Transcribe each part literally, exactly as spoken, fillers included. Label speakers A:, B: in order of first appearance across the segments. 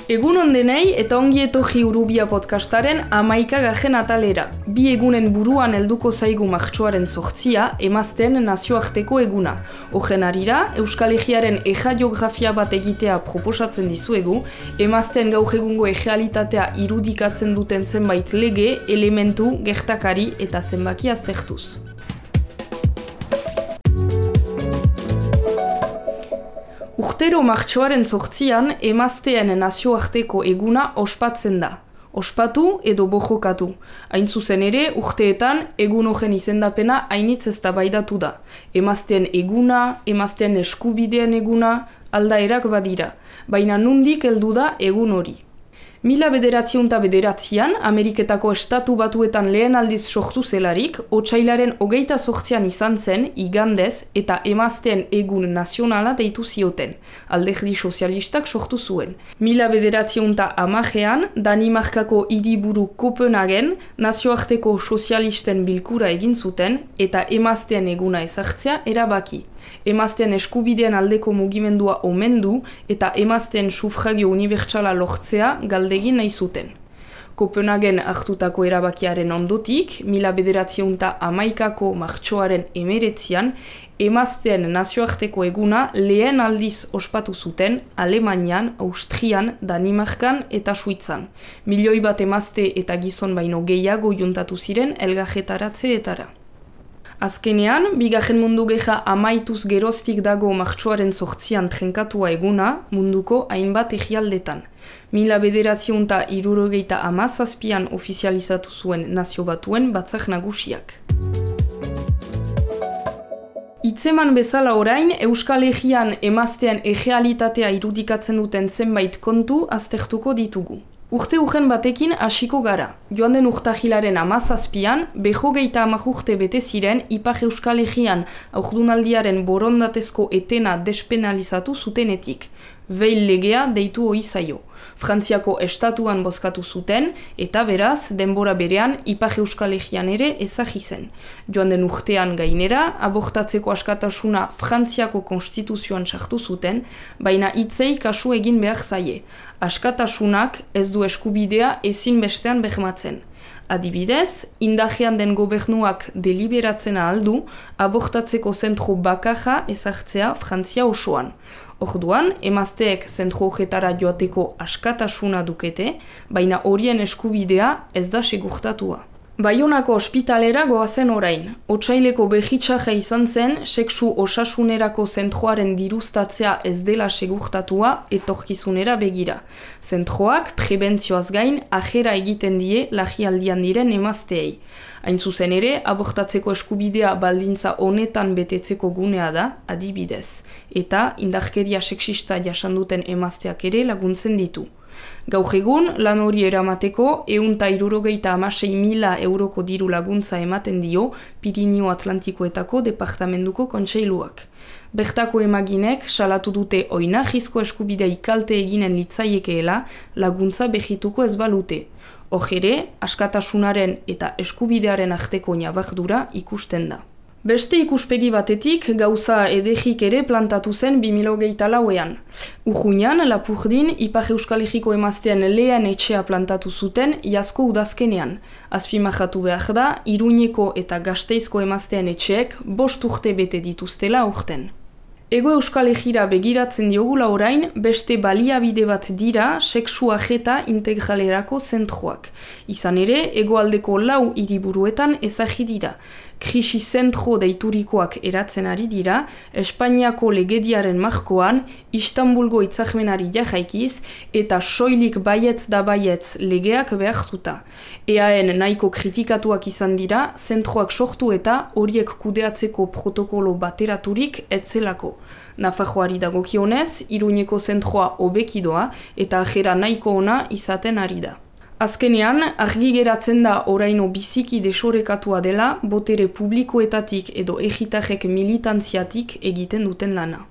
A: Egun ondenei eta ongi etorri Urubia podcastaren hamaika gajen atalera. Bi egunen buruan helduko zaigu martxoaren zortzia, emazteen nazioarteko eguna. Horren harira, Euskal Herriaren eja-geografia bat egitea proposatzen dizuegu, emazteen gaur egungo errealitatea irudikatzen duten zenbait lege, elementu, gertakari eta zenbaki aztertuz. Urtero martxoaren zortzian, emazteen nazioarteko eguna ospatzen da. Ospatu edo bojokatu. Hain zuzen ere, urteetan egun horren izendapena hainitz eztabaidatu da. Emazteen eguna, emazteen eskubideen eguna, aldaerak badira. Baina nundik heldu da egun hori. Mila bederatziehun eta bederatzian, Ameriketako estatu batuetan lehen aldiz sortu zelarik, otsailaren hogeita zortzian izan zen, igandez, eta emazteen egun nazionala deitu zioten. Alderdi sozialistak sortu zuen. Mila bederatziehun eta hamarean, Danimarkako hiriburu Kopenhagen, nazioarteko sozialisten bilkura egin zuten, eta emazteen eguna ezartzea erabaki. Emazteen eskubideen aldeko mugimendua omendu eta emazteen sufragio unibertsala lortzea galdegin nahi zuten. Kopenhagen hartutako erabakiaren ondotik, mila bederatziehun eta hamaikako martxoaren emeretzian, emazteen nazioarteko eguna lehen aldiz ospatu zuten Alemanian, Austrian, Danimarkan eta Suitzan. Milioi bat emazte eta gizon baino gehiago juntatu ziren elgajetaratzeetara. Azkenean, bigarren mundu gerra amaituz geroztik dago martxoaren zortzian trenkatua eguna munduko hainbat herrialdetan. Mila bederatziehun eta hirurogeita hamazazpian ofizializatu zuen Nazio Batuen Batzar Nagusiak. Hitzeman bezala orain, Euskal Herrian emazteen errealitatea irudikatzen duten zenbait kontu aztertuko ditugu. Urte urren batekin hasiko gara. Joan den urtahilaren hamazazpian, behogeita hamar urte bete ziren Ipar Euskal Herrian aurdunaldiaren borondatezko etena despenalizatu zutenetik. Veil legea deitu ohi zaio. Frantziako estatuan bozkatu zuten, eta beraz, denbora berean Ipar Euskal Herrian ere ezagri zen. Joan den urtean gainera, abortatzeko askatasuna Frantziako konstituzioan sartu zuten, baina hitzei kasu egin behar zaie. Askatasunak ez du eskubidea ezin bestean bermatzen. Adibidez, indajean den gobernuak deliberatzen ahaldu, abortatzeko zentro bakarra ezartzea Frantzia osoan. Orduan, emazteek zentro horretara joateko askatasuna dukete, baina horien eskubidea ez da segurtatua. Baionako ospitalera goazen orain. Otsaileko behitsaja izan zen, sexu osasunerako zentroaren diruztatzea ez dela segurtatua etorkizunera begira. Zentroak prebentzioaz gain ajera egiten die larrialdian diren emazteei. Hain zuzen ere, abortatzeko eskubidea baldintza honetan betetzeko gunea da, adibidez. Eta indarkeria sexista jasanduten emazteak ere laguntzen ditu. Gaur egun, lan hori eramateko, ehun eta hirurogeita hamasei mila euroko diru laguntza ematen dio Pirinio Atlantikoetako departamentuko kontseiluak. Bertako emaginek salatu dute oinarrizko eskubidea kalte eginen litzaiekeela laguntza behituko ez balute. Hor ere, askatasunaren eta eskubidearen arteko ñabardura ikusten da. Beste ikuspegi batetik gauza edegik ere plantatu zen bi mila hogeita lauean. Urruñan, Lapurdin, Ipar Euskal Herriko emazteen lehen etxea plantatu zuten iazko udazkenean. Azpimarratu behar da, Iruñeko eta Gasteizko emazteen etxeek bost urte bete dituztela aurten. Ego Euskal Herrira begiratzen diogula orain, beste baliabide bat dira sexu ajeta integralerako zentroak. Izan ere, hegoaldeko lau hiriburuetan ezagri dira. Krisi zentro deiturikoak eratzen ari dira, Espainiako legediaren markoan, Istanbulgo hitzarmenari jarraikiz eta soilik baietz da baietz legeak behartuta. Eaen nahiko kritikatuak izan dira, zentroak sortu eta horiek kudeatzeko protokolo bateraturik etzelako. Nafarroari dagokionez, Iruñeko zentroa hobekidoa eta ajera nahiko ona izaten ari da. Azkenean, argi geratzen da oraino biziki desorekatua dela botere publikoetatik edo egitarrek militantziatik egiten duten lana.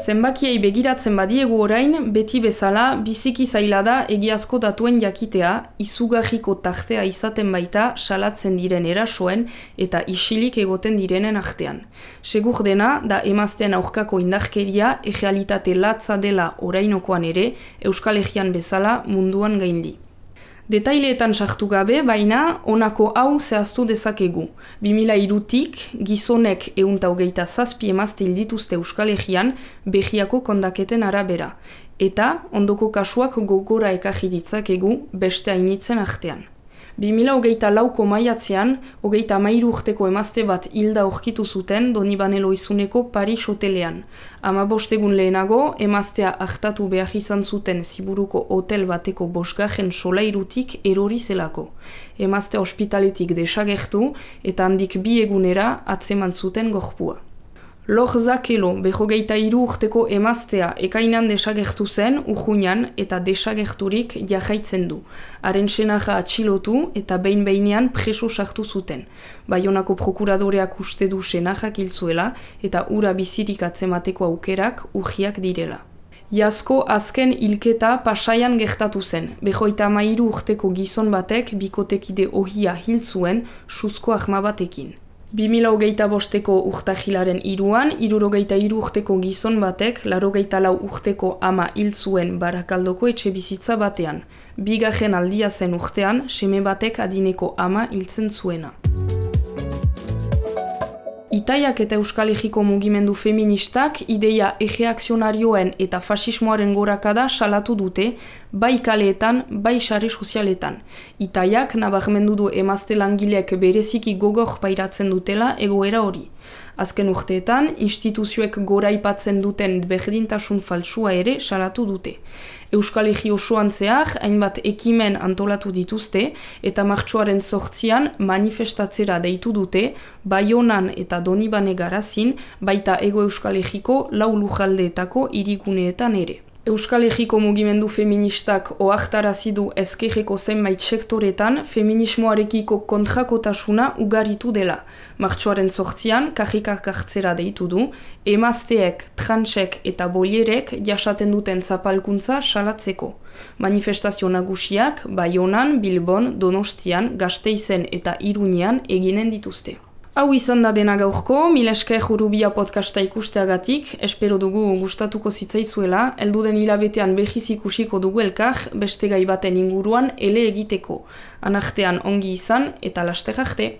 A: Zenbakiei begiratzen badiegu orain, beti bezala, biziki zaila da egiazko datuen jakitea, izugarriko tartea izaten baita salatzen diren erasoen eta isilik egoten direnen artean. Segur dena, da emazteen aurkako indarkeria errealitate latza dela orainokoan ere, Euskal Herrian bezala munduan gaindi. Detaileetan sartu gabe, baina, honako hau zehaztu dezakegu. bi mila hirutik, gizonek ehunta hogeita zazpi emazte hildituzte Euskal Herrian Behiako kondaketen arabera. Eta, ondoko kasuak gogora ekarri ditzakegu beste hainitzen artean. bi mila hogeita lauko maiatzean, hogeita hamairu urteko emazte bat hilda aurkitu zuten Donibane Lohizuneko Paris hotelean. Hamabost egun lehenago, emaztea hartatu behar izan zuten Ziburuko hotel bateko bosgarren solairutik erori zelako. Emaztea ospitaletik desagertu eta handik bi egunera atzeman zuten gorpua. Lor Zakelo, berrogeita hiru urteko emaztea ekainan desagertu zen, urruñan eta desagerturik jarraitzen du. Haren senaja atxilotu eta behin-behinean preso sartu zuten. Baionako prokuradoreak uste du senajak hil zuela eta ura bizirik atzemateko aukerak urriak direla. Iazko azken hilketa Pasaian gertatu zen. Berrogeita hamairu urteko gizon batek bikotekide ohia hil zuen suzko arma batekin. bi mila hogeita bosteko urtahilaren hiruan, hirurogeita hiru urteko gizon batek, laurogeita lau urteko ama hil zuen Barakaldoko etxe bizitza batean. Bigarren aldia zen urtean, seme batek adineko ama hiltzen zuena. Itaiak eta Euskal Herriko mugimendu feministak ideia erreakzionarioen eta fasismoaren gorakada salatu dute, bai kaleetan, bai sare sozialetan. Itaiak nabarmendu du emazte langileek bereziki gogor pairatzen dutela egoera hori. Azken urteetan, instituzioek goraipatzen duten berdintasun faltsua ere salatu dute. Euskal Herri osoan zehar, hainbat ekimen antolatu dituzte eta martxoaren zortzian manifestatzera deitu dute, Baionan eta Donibane Garazin, baita Hego Euskal Herriko lau lujaldeetako hiriguneetan ere. Euskal Herriko mugimendu feministak ohartarazi du ezkerreko zenbait sektoretan feminismoarekiko kontrakotasuna ugaritu dela. Martxoaren zortzian, karrikak hartzera deitu du, emazteek, transek eta bolierek jasaten duten zapalkuntza salatzeko. Manifestazio nagusiak Baionan, Bilbon, Donostian, Gasteizen eta Iruñean eginen dituzte. Hau izan da dena gaurko, mil esker Urrubia podcasta ikusteagatik, espero dugu gustatuko zitzaizuela, elduden hilabetean behiz ikusiko dugu elkar, beste gai baten inguruan ele egiteko. Anartean ongi izan eta laster arte.